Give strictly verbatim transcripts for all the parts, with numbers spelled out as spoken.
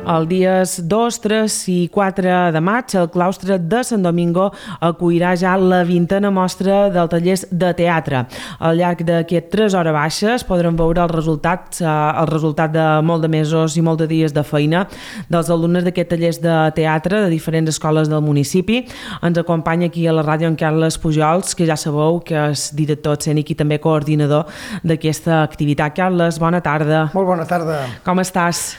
Els dies dos, tres i quatre de maig, el claustre de Sant Domingo acollirà ja la vintena mostra del tallers de teatre. Al llarg d'aquestes tres hores baixes podrem veure els resultats, eh, el resultat de molt de mesos i molt de dies de feina dels alumnes d'aquests tallers de teatre de diferents escoles del municipi. Ens acompanya aquí a la ràdio en Carles Pujols, que ja sabeu que és director escènic i també coordinador d'aquesta activitat. Carles, bona tarda. Molt bona tarda. Com estàs?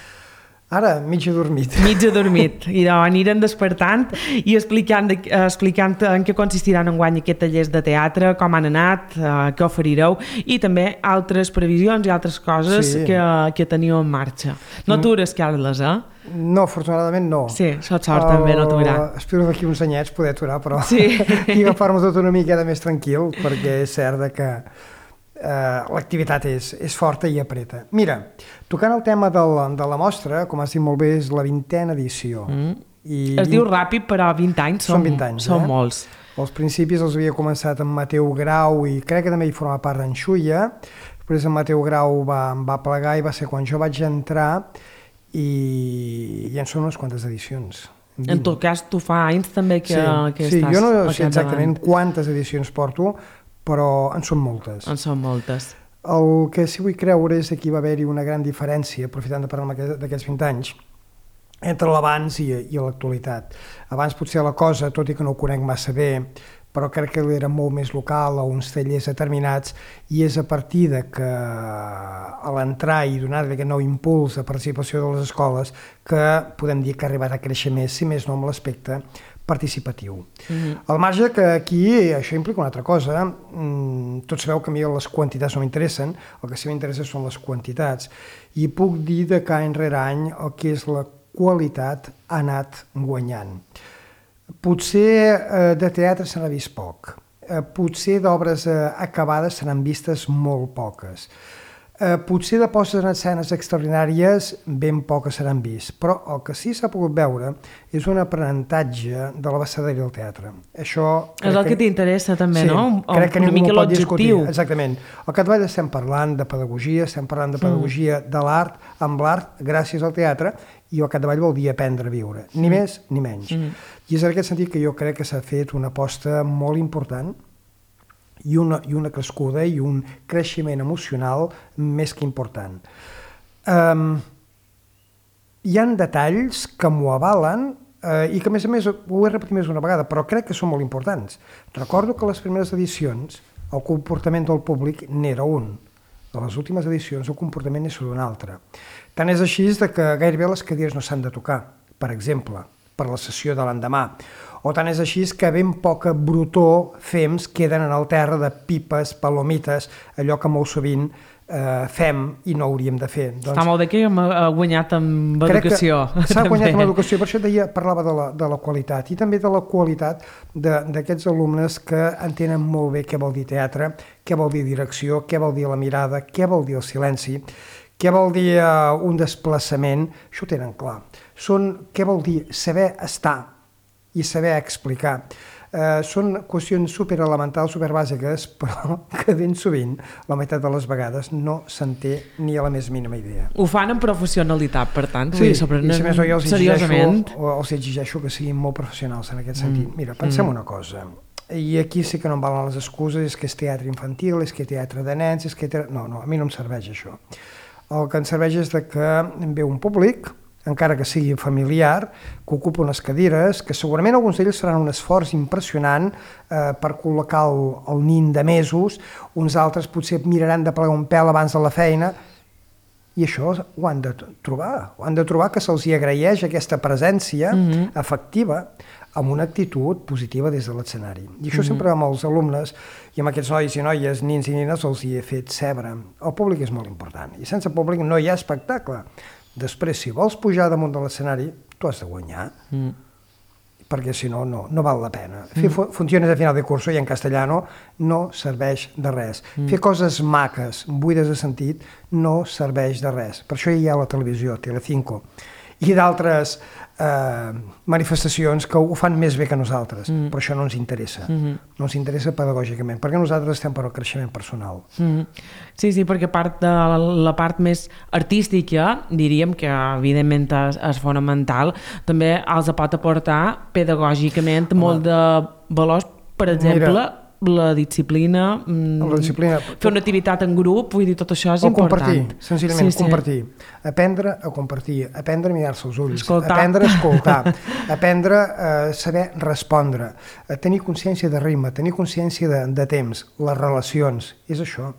Ara, mig adormit. Mig adormit. I doncs anirem despertant i explicant, de, explicant en què consistiran enguany aquests tallers de teatre, com han anat, eh, què oferireu i també altres previsions i altres coses sí. que, que teniu en marxa. No atures, Carles, eh? No, afortunadament no. Sí, sort sort també, no aturar. Espero d'aquí uns anyets poder aturar, però sí. i agafar-me tot una miqueta més tranquil, perquè és cert que Uh, l'activitat és, és forta i apreta. Mira, tocant el tema de la, de la mostra, com has dit molt bé, és la vintena edició. Mm. I es vint... diu ràpid, però vint anys són, són vint anys, són eh? molts. Als principis els havia començat amb Mateu Grau i crec que també hi formava part d'en Xulla. Després en Mateu Grau va, em va plegar i va ser quan jo vaig entrar i, i en són unes quantes edicions. vint. En tot cas, tu fa anys també que, sí, que sí, estàs... Jo no sé exactament quantes edicions porto, però en són moltes. En són moltes. El que sí vull creure és que hi va haver-hi una gran diferència, aprofitant de parlar d'aquests vint anys, entre l'abans i, i l'actualitat. Abans potser la cosa, tot i que no ho conec massa bé, però crec que era molt més local, a uns tallers determinats, i és a partir de que a l'entrar i donar aquest nou impuls de participació de les escoles que podem dir que ha arribat a créixer més, si més no amb l'aspecte participatiu. Mm-hmm. Al marge que aquí això implica una altra cosa, tots sabeu que a mi les quantitats no m'interessen, el que sí m'interessa són les quantitats, i puc dir de que any rere any el que és la qualitat ha anat guanyant. Potser eh, de teatre se n'ha vist poc, eh, potser d'obres eh, acabades se n'han vistes molt poques. Eh, potser de postes en escenes extraordinàries ben poques se n'han vist, però el que sí s'ha pogut veure és un aprenentatge de la bassaderia del teatre. Això és el que, que t'interessa també, sí, no? Un, crec que una ningú mica pot discutir. l'objectiu. Exactament. Al capdavall estem parlant de pedagogia, estem parlant de pedagogia mm. de l'art, amb l'art gràcies al teatre, i al capdavall vol dir aprendre a viure, ni mm. més ni menys. Mm. I és en aquest sentit que jo crec que s'ha fet una aposta molt important i una, i una crescuda i un creixement emocional més que important. Um, hi ha detalls que m'ho avalen uh, i que a més a més ho he repetit més una vegada, però crec que són molt importants. Recordo que a les primeres edicions el comportament del públic n'era un. A les últimes edicions el comportament és un altre. Tant és així de que gairebé les cadires no s'han de tocar, per exemple, per la sessió de l'endemà. O tant és així que ben poca brutor fems queden en el terra de pipes, palomites, allò que molt sovint eh, fem i no hauríem de fer. Doncs, està molt bé que hem guanyat amb educació. S'ha guanyat amb educació, per això deia, parlava de la, de la qualitat i també de la qualitat d'aquests alumnes que entenen molt bé què vol dir teatre, què vol dir direcció, què vol dir la mirada, què vol dir el silenci, què vol dir uh, un desplaçament, això ho tenen clar. Són, què vol dir saber estar i saber explicar. Eh, són qüestions superelementals, superbàsiques, però que ben sovint, la meitat de les vegades, no se'n té ni a la més mínima idea. Ho fan amb professionalitat, per tant, sí, i sobre i si més no, jo els seriosament. Exigeixo, els exigeixo que siguin molt professionals en aquest sentit. Mm. Mira, pensem mm. una cosa, i aquí sí que no em valen les excuses, és que és teatre infantil, és que és teatre de nens, és que... Teatre... No, no, a mi no em serveix això. El que em serveix és de que ve un públic, encara que sigui familiar, que ocupa unes cadires, que segurament alguns d'ells faran un esforç impressionant eh, per col·locar el, el nin de mesos, uns altres potser miraran de plegar un pèl abans de la feina, i això ho han de trobar, ho han de trobar que se'ls hi agraeix aquesta presència mm-hmm. efectiva amb una actitud positiva des de l'escenari. I això mm-hmm. sempre amb els alumnes i amb aquests nois i noies, nins i nines, els hi he fet cebre. El públic és molt important, i sense públic no hi ha espectacle. Després, si vols pujar damunt de l'escenari, tu has de guanyar, mm. perquè si no, no, no val la pena. Mm. Fer funcions de final de curso i en castellano no serveix de res. Mm. Fer coses maques, buides de sentit, no serveix de res. Per això hi ha la televisió, Telecinco. i d'altres eh, manifestacions que ho fan més bé que nosaltres, mm. però això no ens interessa, mm-hmm. no ens interessa pedagògicament, perquè nosaltres estem per al creixement personal. Mm. Sí, sí, perquè part de la part més artística, diríem que evidentment és, és fonamental, també els pot aportar pedagògicament Home. molt de valors, per exemple, Mira, la disciplina, la disciplina, fer una activitat en grup, vull dir, tot això és o important. Compartir, senzillament, sí, compartir. Sí. Aprendre a compartir, aprendre a mirar-se als ulls, escoltar. aprendre a escoltar, aprendre a saber respondre, a tenir consciència de ritme, tenir consciència de, de temps, les relacions, és això.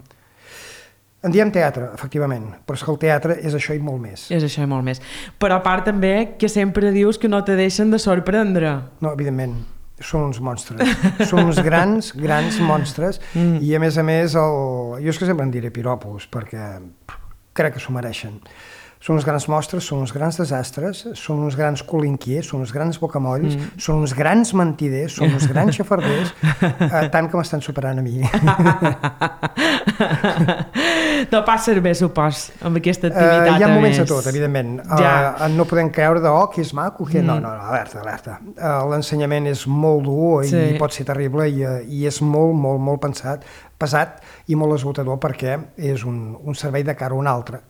En diem teatre, efectivament, però és que el teatre és això i molt més. És això i molt més. Però a part també que sempre dius que no te deixen de sorprendre. No, evidentment. Són uns monstres, són uns grans, grans monstres, mm. i a més a més, el... jo és que sempre en diré piropos, perquè crec que s'ho mereixen. Són uns grans monstres, són uns grans desastres, són uns grans colinquiers, són uns grans bocamolls, mm. són uns grans mentiders, són uns grans xafarders, eh, tant que m'estan superant a mi. No passes bé, supos, amb aquesta activitat. Uh, hi ha moments més. de tot, evidentment. Ja. Uh, no podem creure de, oh, que és maco, que... Mm. No, no, no, alerta, alerta. Uh, L'ensenyament és molt dur i sí. pot ser terrible i, uh, i és molt, molt, molt pensat, pesat i molt esgotador perquè és un, un servei de cara a un altre.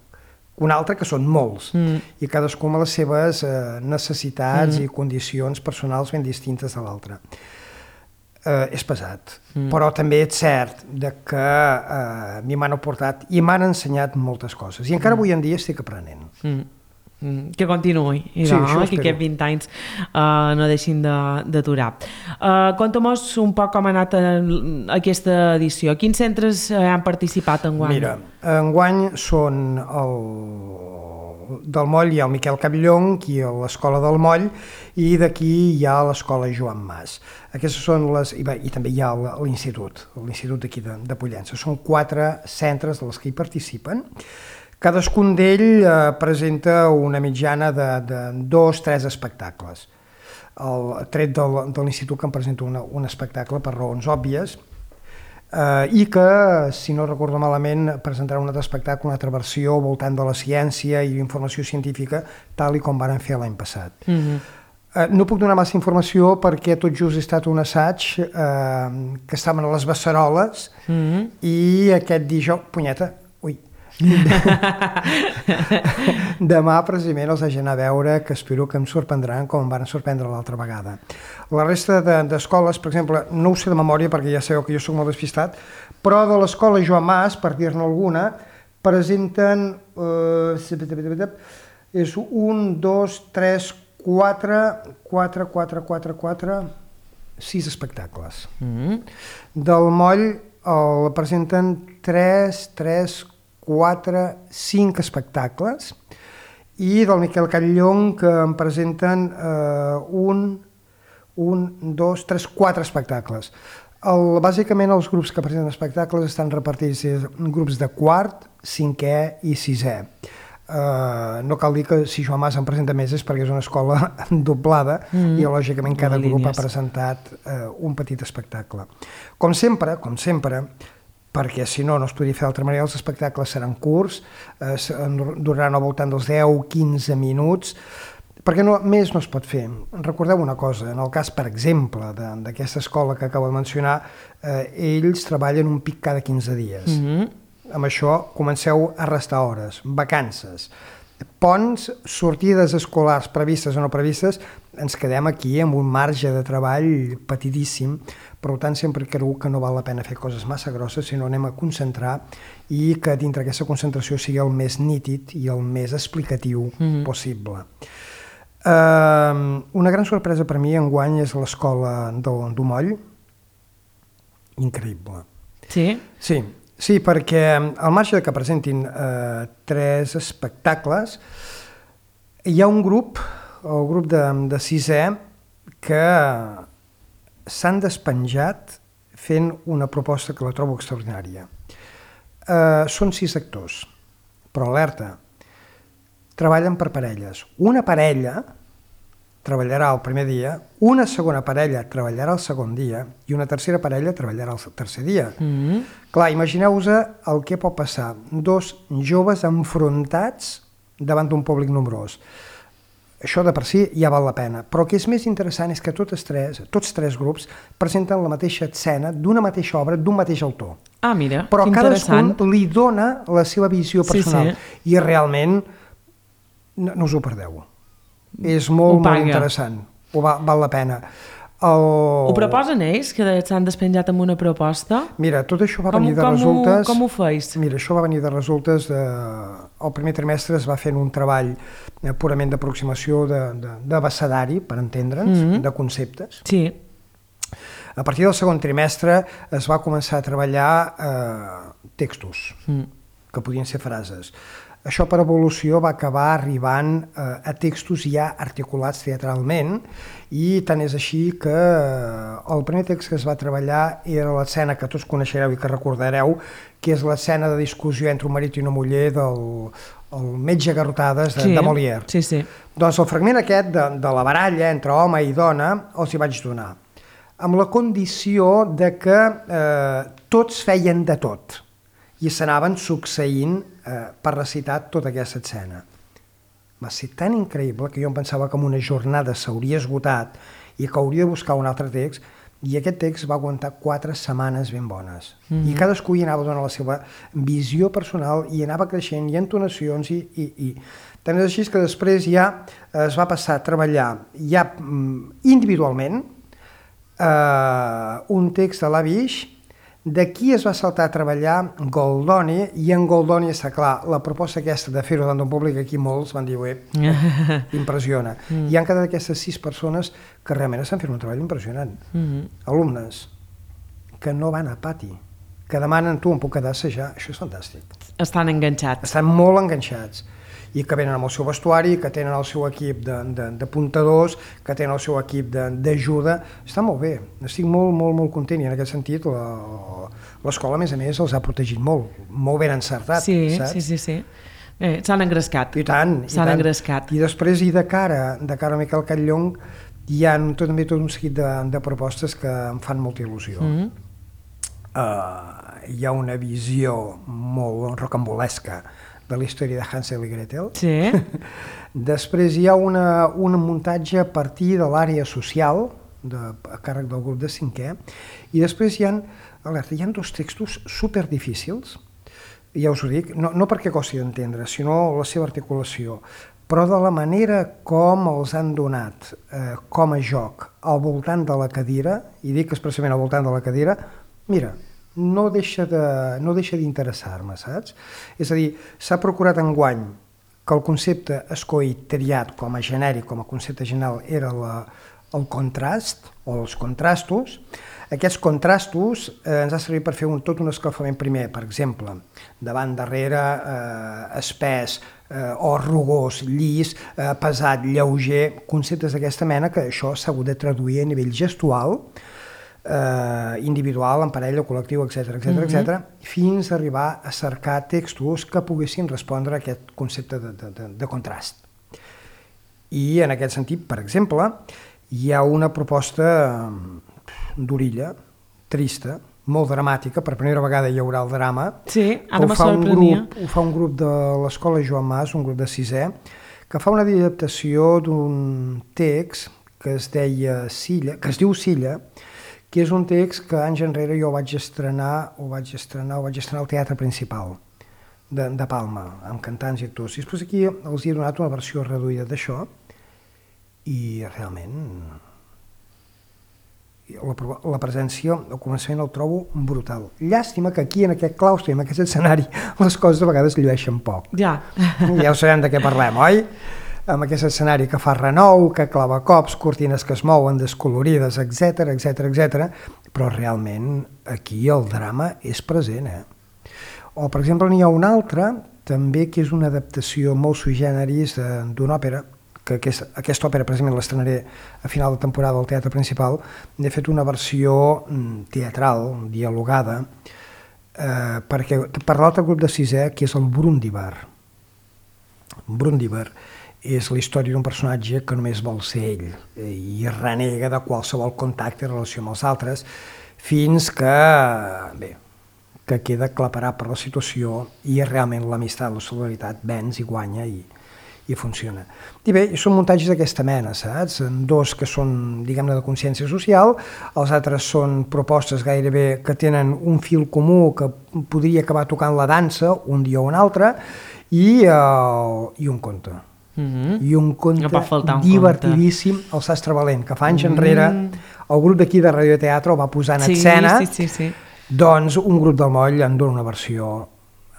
Un altre que són molts, mm. i cadascú amb les seves eh, necessitats mm. i condicions personals ben distintes de l'altre. Eh, és pesat, mm. però també és cert de que eh, m'hi m'han aportat i m'han ensenyat moltes coses, i encara mm. avui en dia estic aprenent. Mm. Mm. Que continuï, i sí, no, que aquests vint anys uh, no deixin d'aturar. De, uh, Conta-mos un poc com ha anat aquesta edició. Quins centres han participat enguany? Mira, enguany són el, del Moll hi ha el Miquel Capllonc i l'Escola del Moll, i d'aquí hi ha l'Escola Joan Mas. Aquestes són les... I, bé, i també hi ha l'Institut, l'Institut d'aquí de, de Pollença. Són quatre centres dels que hi participen. Cadascun d'ell eh, presenta una mitjana de, de dos, tres espectacles. El tret del, de l'Institut, que em presenta una, un espectacle per raons òbvies, eh, i que, si no recordo malament, presentarà un altre espectacle, una altra versió voltant de la ciència i informació científica, tal i com varen fer l'any passat. Mm-hmm. eh, no puc donar massa informació perquè tot just ha estat un assaig eh, que estaven a les Beceroles, mm-hmm. i aquest dijous... Punyeta, ui... Demà precisament els hagi d'anar a veure, que espero que em sorprendran com em van sorprendre l'altra vegada. La resta d'escoles, per exemple, no ho sé de memòria perquè ja sabeu que jo soc molt despistat, però de l'escola Joan Mas, per dir-ne alguna, presenten eh, és un, dos, tres, quatre, quatre, quatre, quatre, quatre, sis espectacles. Mm-hmm. Del Moll el presenten tres, tres, quatre, cinc espectacles, i del Miquel Capllonc que em presenten eh, un, un, dos, tres, quatre espectacles. El, bàsicament els grups que presenten espectacles estan repartits en grups de quart, cinquè i sisè. Uh, no cal dir que si Joan Mas en presenta més és perquè és una escola doblada, mm, i lògicament cada grup línies. ha presentat uh, un petit espectacle. Com sempre, com sempre, perquè si no, no es podria fer d'altra manera, els espectacles seran curts, eh, duraran al voltant dels deu a quinze minuts, perquè no, més no es pot fer. Recordeu una cosa, en el cas, per exemple, d'aquesta escola que acabo de mencionar, eh, ells treballen un pic cada quinze dies. Mm-hmm. Amb això comenceu a restar hores, vacances, ponts, sortides escolars previstes o no previstes, ens quedem aquí amb un marge de treball petidíssim. Per tant, sempre creu que no val la pena fer coses massa grosses, sinó anem a concentrar i que dintre aquesta concentració sigui el més nítid i el més explicatiu mm-hmm. possible. Uh, una gran sorpresa per mi enguany és l'escola del Moll. Increïble. Sí? Sí, sí, perquè al marge que presentin uh, tres espectacles, hi ha un grup, el grup de, de sisè, que s'han despenjat fent una proposta que la trobo extraordinària. Uh, són sis actors, però alerta, treballen per parelles. Una parella treballarà el primer dia, una segona parella treballarà el segon dia i una tercera parella treballarà el tercer dia. Mm-hmm. Clar, imagineu-vos el que pot passar. Dos joves enfrontats davant d'un públic nombrós. això de per si ja val la pena. Però el que és més interessant és que tots tres, tots tres grups presenten la mateixa escena d'una mateixa obra, d'un mateix autor. Ah, mira, però que interessant. cadascun li dona la seva visió personal. Sí, sí. I realment no, no us ho perdeu. És molt, molt interessant. Ho va, val la pena. El... Ho proposen ells, que s'han despenjat amb una proposta? Mira, tot això va com, venir de com resultes... Ho, com ho feis? Mira, això va venir de resultes de... El primer trimestre es va fent un treball purament d'aproximació d'abecedari, per entendre'ns, mm-hmm. de conceptes. Sí. A partir del segon trimestre es va començar a treballar eh, textos, mm. que podien ser frases. Això per evolució va acabar arribant eh, a textos ja articulats teatralment, i tant és així que eh, el primer text que es va treballar era l'escena que tots coneixereu i que recordareu, que és l'escena de discussió entre un marit i una muller del el metge garrotades de, sí, de Molière. Sí, sí. Doncs el fragment aquest de, de la baralla entre home i dona els hi vaig donar, amb la condició de que eh, tots feien de tot i s'anaven succeint eh, per recitar tota aquesta escena. Va ser tan increïble que jo em pensava que en una jornada s'hauria esgotat i que hauria de buscar un altre text, i aquest text va aguantar quatre setmanes ben bones. Mm-hmm. I cadascú hi anava donant la seva visió personal i anava creixent, i entonacions, i, i, i... tant és així que després ja es va passar a treballar ja individualment eh, un text de l'Avish. D'aquí es va saltar a treballar Goldoni, i en Goldoni està clar, la proposta aquesta de fer-ho davant d'un públic, aquí molts van dir, ué, impressiona. Mm. I han quedat aquestes sis persones que realment estan fent un treball impressionant. Mm-hmm. Alumnes que no van a pati, que demanen, tu em puc quedar a assajar, això és fantàstic. Estan enganxats. Estan molt enganxats. I que venen amb el seu vestuari, que tenen el seu equip de, de, de puntadors, que tenen el seu equip d'ajuda. Està molt bé, estic molt, molt, molt content, i en aquest sentit l'escola, a més a més, els ha protegit molt, molt ben encertat, sí, saps? Sí, sí, sí. Eh, s'han engrescat. I tant, i s'han tant. engrescat. I després, i de cara, de cara a Miquel Catllong, hi ha tot, també tot un seguit de, de propostes que em fan molta il·lusió. Mm-hmm. uh, hi ha una visió molt rocambolesca de la història de Hansel i Gretel. Sí. Després hi ha una, un muntatge a partir de l'àrea social, de, a càrrec del grup de cinquè, i després hi ha, alerta, hi ha dos textos superdifícils, ja us ho dic, no, no perquè costi d'entendre, sinó la seva articulació, però de la manera com els han donat eh, com a joc al voltant de la cadira, i dic expressament al voltant de la cadira, mira, no deixa de, no deixa d'interessar-me, saps? És a dir, s'ha procurat enguany que el concepte escollit, triat com a genèric, com a concepte general, era la, el contrast, o els contrastos. Aquests contrastos eh, ens ha servit per fer un, tot un escalfament primer, per exemple, davant, darrere, eh, espès, eh, o rugós, llis, eh, pesat, lleuger, conceptes d'aquesta mena, que això s'ha hagut de traduir a nivell gestual, eh, individual, en parella, col·lectiu, etcètera, etcètera, mm-hmm. etcètera, fins a arribar a cercar textos que poguessin respondre a aquest concepte de, de, de, de contrast. I en aquest sentit, per exemple, hi ha una proposta d'orilla, trista, molt dramàtica, per primera vegada hi haurà el drama. Sí, ara me sorprenia. Ho fa un grup de l'escola Joan Mas, un grup de sisè, que fa una adaptació d'un text que es deia Silla, que es diu Silla, que és un text que anys enrere jo vaig estrenar, o vaig estrenar, o vaig estrenar al Teatre Principal de, de Palma, amb cantants i actors. I després aquí els he donat una versió reduïda d'això, i realment la, la presència, al començament el trobo brutal. Llàstima que aquí, en aquest claustre, en aquest escenari, les coses a vegades llueixen poc. Ja. Ja ho sabem de què parlem, oi? Amb aquest escenari que fa renou, que clava cops, cortines que es mouen, descolorides, etcètera, etcètera, etcètera, però realment aquí el drama és present, eh? O, per exemple, n'hi ha un altre, també, que és una adaptació molt sui generis d'una òpera, que aquest, aquesta òpera precisament l'estrenaré a final de temporada al Teatre Principal. N'he fet una versió teatral, dialogada, eh, perquè per l'altre grup de sisè, que és el Brundibar. Brundibar és la història d'un personatge que només vol ser ell i renega de qualsevol contacte i relació amb els altres, fins que, bé, que queda aclaparat per la situació i realment l'amistat, la solidaritat, venç i guanya, i, i funciona. I bé, són muntatges d'aquesta mena, saps? Dos que són, diguem-ne, de consciència social, els altres són propostes gairebé que tenen un fil comú que podria acabar tocant la dansa un dia o un altre, i, uh, i un conte. Mm-hmm. I un conte un divertidíssim, conte. El Sastre Valent, que fa anys mm. enrere el grup d'aquí de Radioteatre el va posar en sí, escena, sí, sí, sí. Doncs un grup del Moll en dona una versió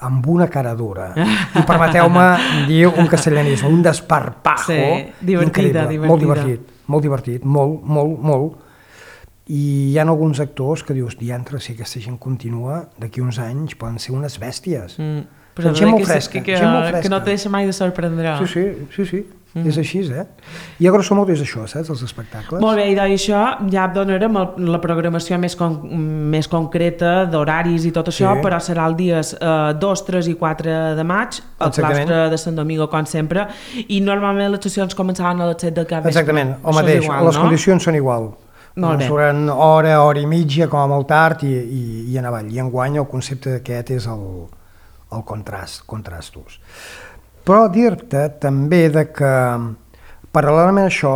amb una cara dura. I permeteu-me dir un castellanisme, un desparpajo sí, divertida, increïble, divertida. molt divertit, molt divertit, molt, molt, molt. I hi ha alguns actors que dius, diantre, si aquesta gent continua, d'aquí uns anys poden ser unes bèsties. Mm. Però gent molt que, fresca, que, que, gent molt fresca. Que no te deixa mai de sorprendre. Sí, sí, sí, sí. Mm. És així, eh? I a grosso modo és això, saps, els espectacles. Molt bé, i d'això ja donarem el, la programació més, con, més concreta d'horaris i tot això, sí. Però serà el dies eh, dos, tres i quatre de maig, al claustre de Sant Domingo, com sempre, i normalment les sessions començaven a les set del cap vespre. Exactament, el mateix, igual, les no? condicions són igual. Molt bé. Duran hora, hora i mitja, com a molt tard, i, i, i en avall. I enguany el concepte d'aquest és el, el contrast, contrastos. Però dir-te també de que, paral·lelament a això,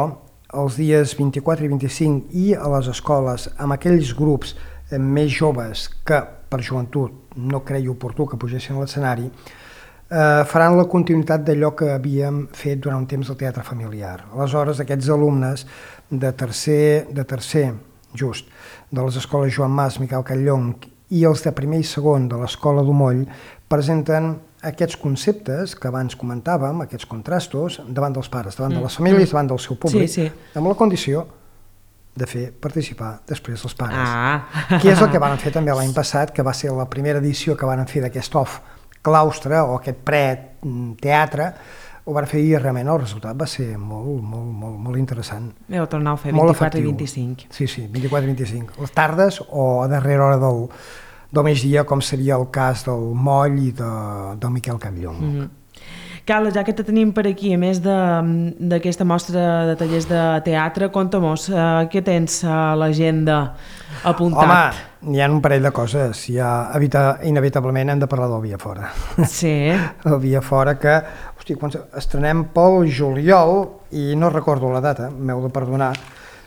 els dies vint-i-quatre i vint-i-cinc i a les escoles, amb aquells grups més joves que per joventut no creia oportú que pugessin a l'escenari, eh, faran la continuïtat d'allò que havíem fet durant un temps del teatre familiar. Aleshores, aquests alumnes de tercer, de tercer just, de les escoles Joan Mas, Miquel Catllong, i els de primer i segon de l'escola d'Omoll presenten aquests conceptes que abans comentàvem, aquests contrastos, davant dels pares, davant mm. de les famílies, davant del seu públic, sí, sí. amb la condició de fer participar després els pares. Ah. Que és el que van fer també l'any passat, que va ser la primera edició que van fer d'aquest off claustre o aquest pre-teatre, ho van fer i realment el resultat va ser molt, molt, molt, molt interessant. Heu tornat a fer vint-i-quatre i vint-i-cinc. Sí, sí, vint-i-quatre i vint-i-cinc. Les tardes o a darrera hora del, del migdia, com seria el cas del Moll i de, del Miquel Catllong. Mm-hmm. Carla, ja que te tenim per aquí, a més d'aquesta mostra de tallers de teatre, conta-mos, uh, què tens a l'agenda apuntat? Home, hi ha un parell de coses. Ja, evita, inevitablement hem de parlar del Via Fora. Sí. El Via Fora que, hosti, quan estrenem pel juliol, i no recordo la data, m'heu de perdonar,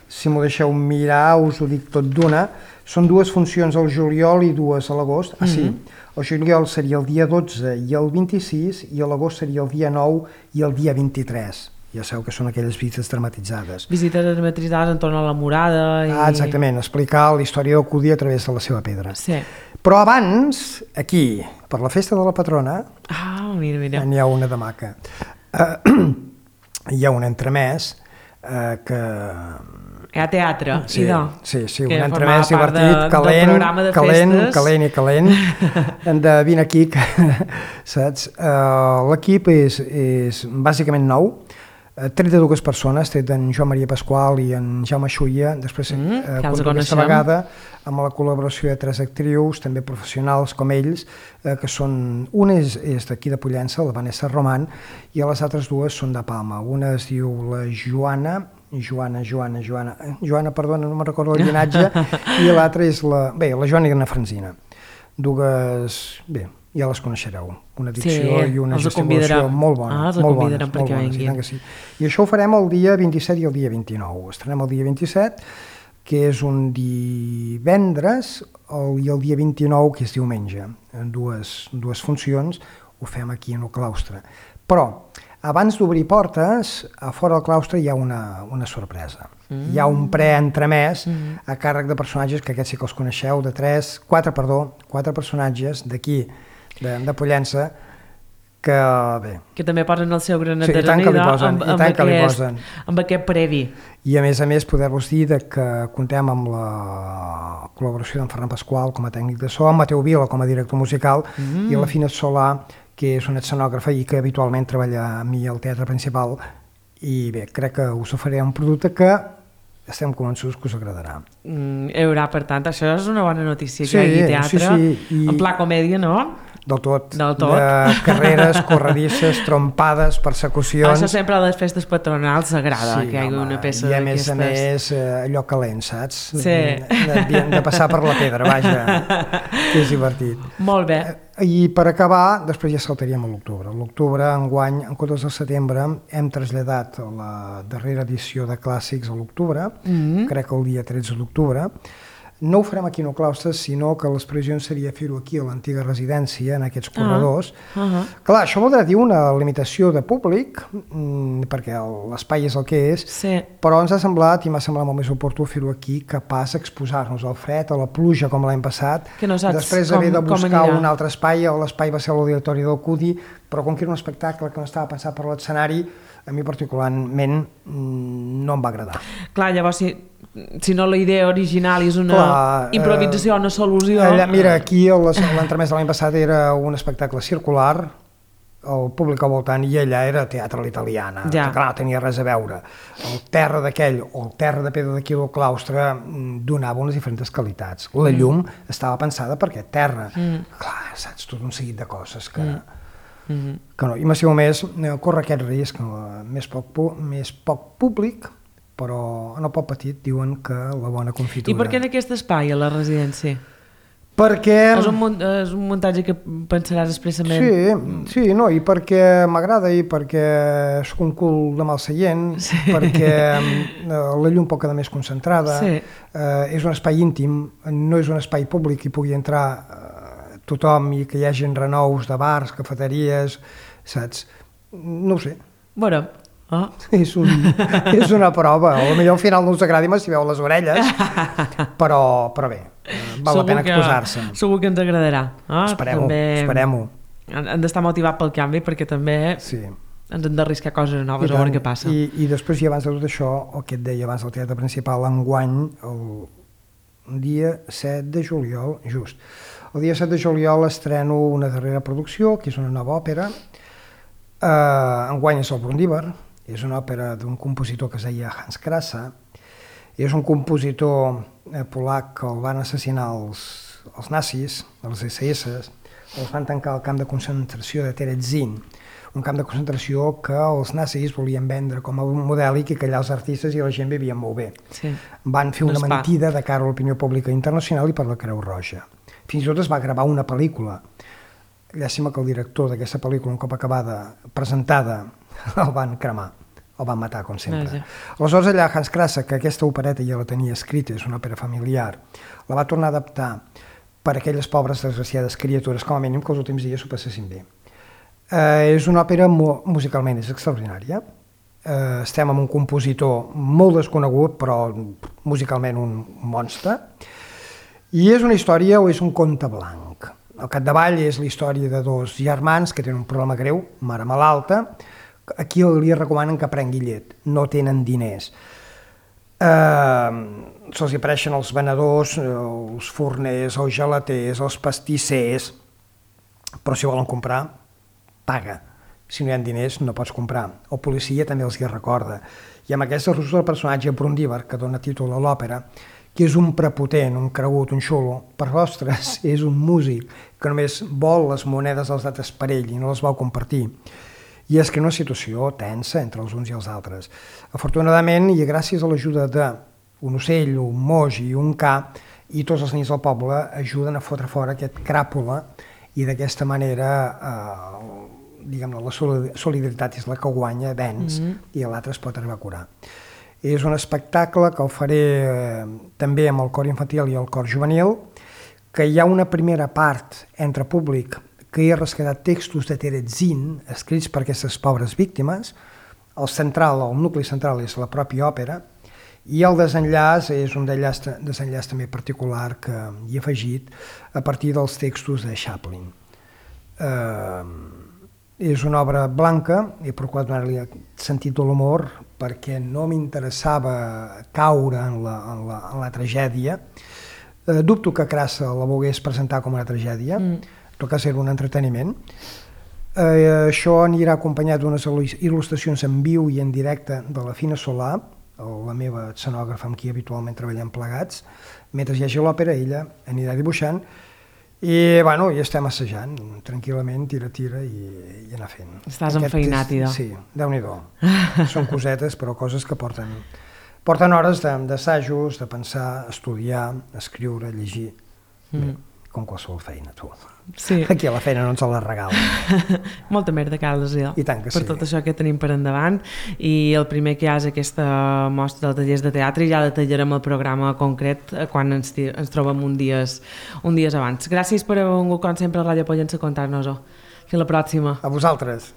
si m'ho deixeu mirar us ho dic tot d'una, són dues funcions al juliol i dues a l'agost. Ah, sí. Mm-hmm. El juliol seria el dia dotze i el vint-i-sis, i a l'agost seria el dia nou i el dia vint-i-tres. Ja sabeu que són aquelles visites dramatitzades. Visites dramatitzades entorn a la murada. I... Ah, exactament, explicar la història del Cudí a través de la seva pedra. Sí. Però abans, aquí, per la festa de la patrona, ah, mira, mira. n'hi ha una de maca. Uh, hi ha un entremès uh, que... Hi ha teatre, sí, idò. Sí, sí, un entremès divertit, de, calent, de calent, calent i calent. Hem de vine aquí, que, saps? Uh, L'equip és, és bàsicament nou, uh, tret de dues persones, tret d'en Joan Maria Pasqual i en Jaume Xuia, després mm, uh, aquesta vegada amb la col·laboració de tres actrius, també professionals com ells, uh, que són, una és, és d'aquí de Pollença, la Vanessa Roman, i les altres dues són de Palma. Una es diu la Joana, Joana, Joana, Joana, Joana, perdona, no me'n recordo el llinatge, i l'altra és la, bé, la Joana i la Francina. Dues, bé, ja les coneixereu, una dicció sí, i una gesticulació molt bona. Ah, els molt convidarem bones, perquè molt bones, vinguin. I, sí. I això ho farem el dia vint-i-set i el dia vint-i-nou. Estrenem el dia vint-i-set, que és un divendres, el, i el dia vint-i-nou, que és diumenge. En dues, dues funcions ho fem aquí en el claustre. Però abans d'obrir portes, a fora del claustre hi ha una, una sorpresa. Mm. Hi ha un pre-entremès mm. a càrrec de personatges, que aquests sí que els coneixeu, de tres, quatre, perdó, quatre personatges d'aquí, de, de Pollença, que bé... Que també posen el seu granet sí, de arrelida amb, amb, aquest, amb aquest previ. I a més a més poder-vos dir de que contem amb la col·laboració d'en Ferran Pasqual com a tècnic de so, amb Mateu Vila com a director musical mm. i la Fina Solà, que és una escenògrafa i que habitualment treballa amb mi al teatre principal, i bé, crec que us oferiré un producte que estem convençuts que us agradarà. Mm, hi haurà, per tant, això és una bona notícia, sí, que hi hagi teatre, sí, sí, i... en pla comèdia, no? Del tot, Del tot. De carreres, corredisses, trompades, persecucions... Això sempre a les festes patronals s'agrada, sí, que hi hagi una peça d'aquestes. I a més a més, allò calent, saps? Sí. De, de passar per la pedra, vaja, que és divertit. Molt bé. I per acabar, després ja saltaríem a l'octubre. L'octubre, enguany, en comptes del setembre, hem traslladat la darrera edició de clàssics a l'octubre, mm-hmm. crec que el dia tretze d'octubre. No ho farem aquí en el claustre, sinó que les previsions seria fer-ho aquí a l'antiga residència, en aquests corredors. Uh -huh. Clar, això voldrà dir una limitació de públic, mmm, perquè l'espai és el que és, sí. però ens ha semblat, i m'ha semblat molt més oportú fer-ho aquí, que pas exposar-nos al fred, a la pluja, com l'any passat, que no saps després com, haver de buscar un anirà. altre espai, l'espai va ser l'auditori del Cudi, però com que era un espectacle que no estava pensat per l'escenari, a mi particularment no em va agradar. Clar, llavors, si, si no la idea original és una Clar, improvisació, eh, una solució... Allà, mira, aquí l'entremès de l'any passat era un espectacle circular, el públic al voltant, i allà era teatre a l'italiana, ja. que clar, no tenia res a veure. El terra d'aquell o el terra de pedra d'aquí del claustre donava unes diferents qualitats. La llum mm. estava pensada per aquest terra. Mm. Clar, saps, tot un seguit de coses que... Mm. Mm-hmm. que no. I m'assimo més, corre aquest risc, més poc, més poc públic, però en el poc petit diuen que la bona confitura... I per què en aquest espai, a la residència? Perquè... És un, és un muntatge que pensaràs expressament... Sí, sí, no, i perquè m'agrada, i perquè soc un cul de mal seient, sí. perquè la llum pot quedar més concentrada, sí. eh, és un espai íntim, no és un espai públic i pugui entrar eh, tothom i que hi hagi renous de bars, cafeteries, saps? No ho sé. Bueno... Oh. És, un, és una prova, o potser al final no us agradi si veu les orelles, però, però bé, val segur la pena que, exposar-se. Segur que ens agradarà. Oh, esperem-ho, esperem-ho. Hem d'estar motivat pel canvi perquè també sí. ens hem d'arriscar coses noves, a veure què passa. I, I després, i abans de tot això, el que et deia abans del teatre principal, enguany, el dia set de juliol, just, el dia set de juliol estreno una darrera producció, que és una nova òpera, uh, enguany és el Brundíbar. És una òpera d'un compositor que es deia Hans Krasa. És un compositor eh, polac que el van assassinar els, els nazis, els esse esse, els van tancar al camp de concentració de Terezin, un camp de concentració que els nazis volien vendre com a un modèlic i que allà els artistes i la gent vivien molt bé. Sí. Van fer no una mentida de cara a l'opinió pública internacional i per la Creu Roja. Fins i tot es va gravar una pel·lícula. Llàstima que el director d'aquesta pel·lícula, un cop acabada, presentada, el van cremar, el van matar, com sempre. Ah, aleshores, allà Hans Krasa, que aquesta opereta ja la tenia escrita, és una òpera familiar, la va tornar a adaptar per a aquelles pobres desgraciades criatures, com a mínim que els últims dies s'ho passessin bé. Eh, és una òpera mu musicalment és extraordinària. Eh, estem amb un compositor molt desconegut, però musicalment un monstre. I és una història o és un conte blanc. Al capdavall és la història de dos germans que tenen un problema greu, mare malalta. Aquí li recomanen que prengui llet, no tenen diners. Eh, se'ls apareixen els venedors, els forners, els gelaters, els pastissers, però si volen comprar, paga. Si no hi ha diners no pots comprar. El policia també els hi recorda. I amb aquesta resolució del personatge Brundíbar, que dona títol a l'òpera, que és un prepotent, un cregut, un xulo, per vostres és un músic que només vol les monedes dels altres per ell i no les vol compartir. I és que una situació tensa entre els uns i els altres. Afortunadament, i gràcies a l'ajuda d'un ocell, un moix i un ca, i tots els nens del poble ajuden a fotre fora aquest cràpula i d'aquesta manera, eh, diguem-ne, la solidaritat és la que guanya, venç, mm-hmm. i l'altre es pot arribar a curar. És un espectacle que el faré eh, també amb el cor infantil i el cor juvenil, que hi ha una primera part entre públic que hi ha rescatat textos de Terezin escrits per aquestes pobres víctimes. El central, el nucli central és la pròpia òpera, i el desenllaç és un desenllaç, desenllaç també particular que hi he afegit a partir dels textos de Chaplin. Eh, és una obra blanca, he procurat donar-li sentit de l'humor perquè no m'interessava caure en la, en la, en la tragèdia. Eh, dubto que Krasa la volgués presentar com una tragèdia, mm. en tot cas era un entreteniment. Eh, això anirà acompanyat d'unes il·lustracions en viu i en directe de la Fina Solà, la meva escenògrafa amb qui habitualment treballem plegats. Mentre hi hagi l'òpera, ella anirà dibuixant i, bueno, i estem assajant tranquil·lament, tira, tira i, i anar fent. Estàs enfeinat, idò. Sí, Déu-n'hi-do. Són cosetes, però coses que porten, porten hores d'assajos, de pensar, estudiar, escriure, llegir. Mm. Bé, com qualsevol feina, tu. Sí. Aquí a la feina no ens la regala. Molta merda cal, sí. I tant que per sí. tot això que tenim per endavant, i el primer que hi ha és aquesta mostra dels tallers de teatre, i ja detallarem el programa concret quan ens, ens trobem un dies, un dies abans. Gràcies per haver vingut, com sempre, a Ràdio Pollença a contar-nos-ho. Fins la pròxima. A vosaltres.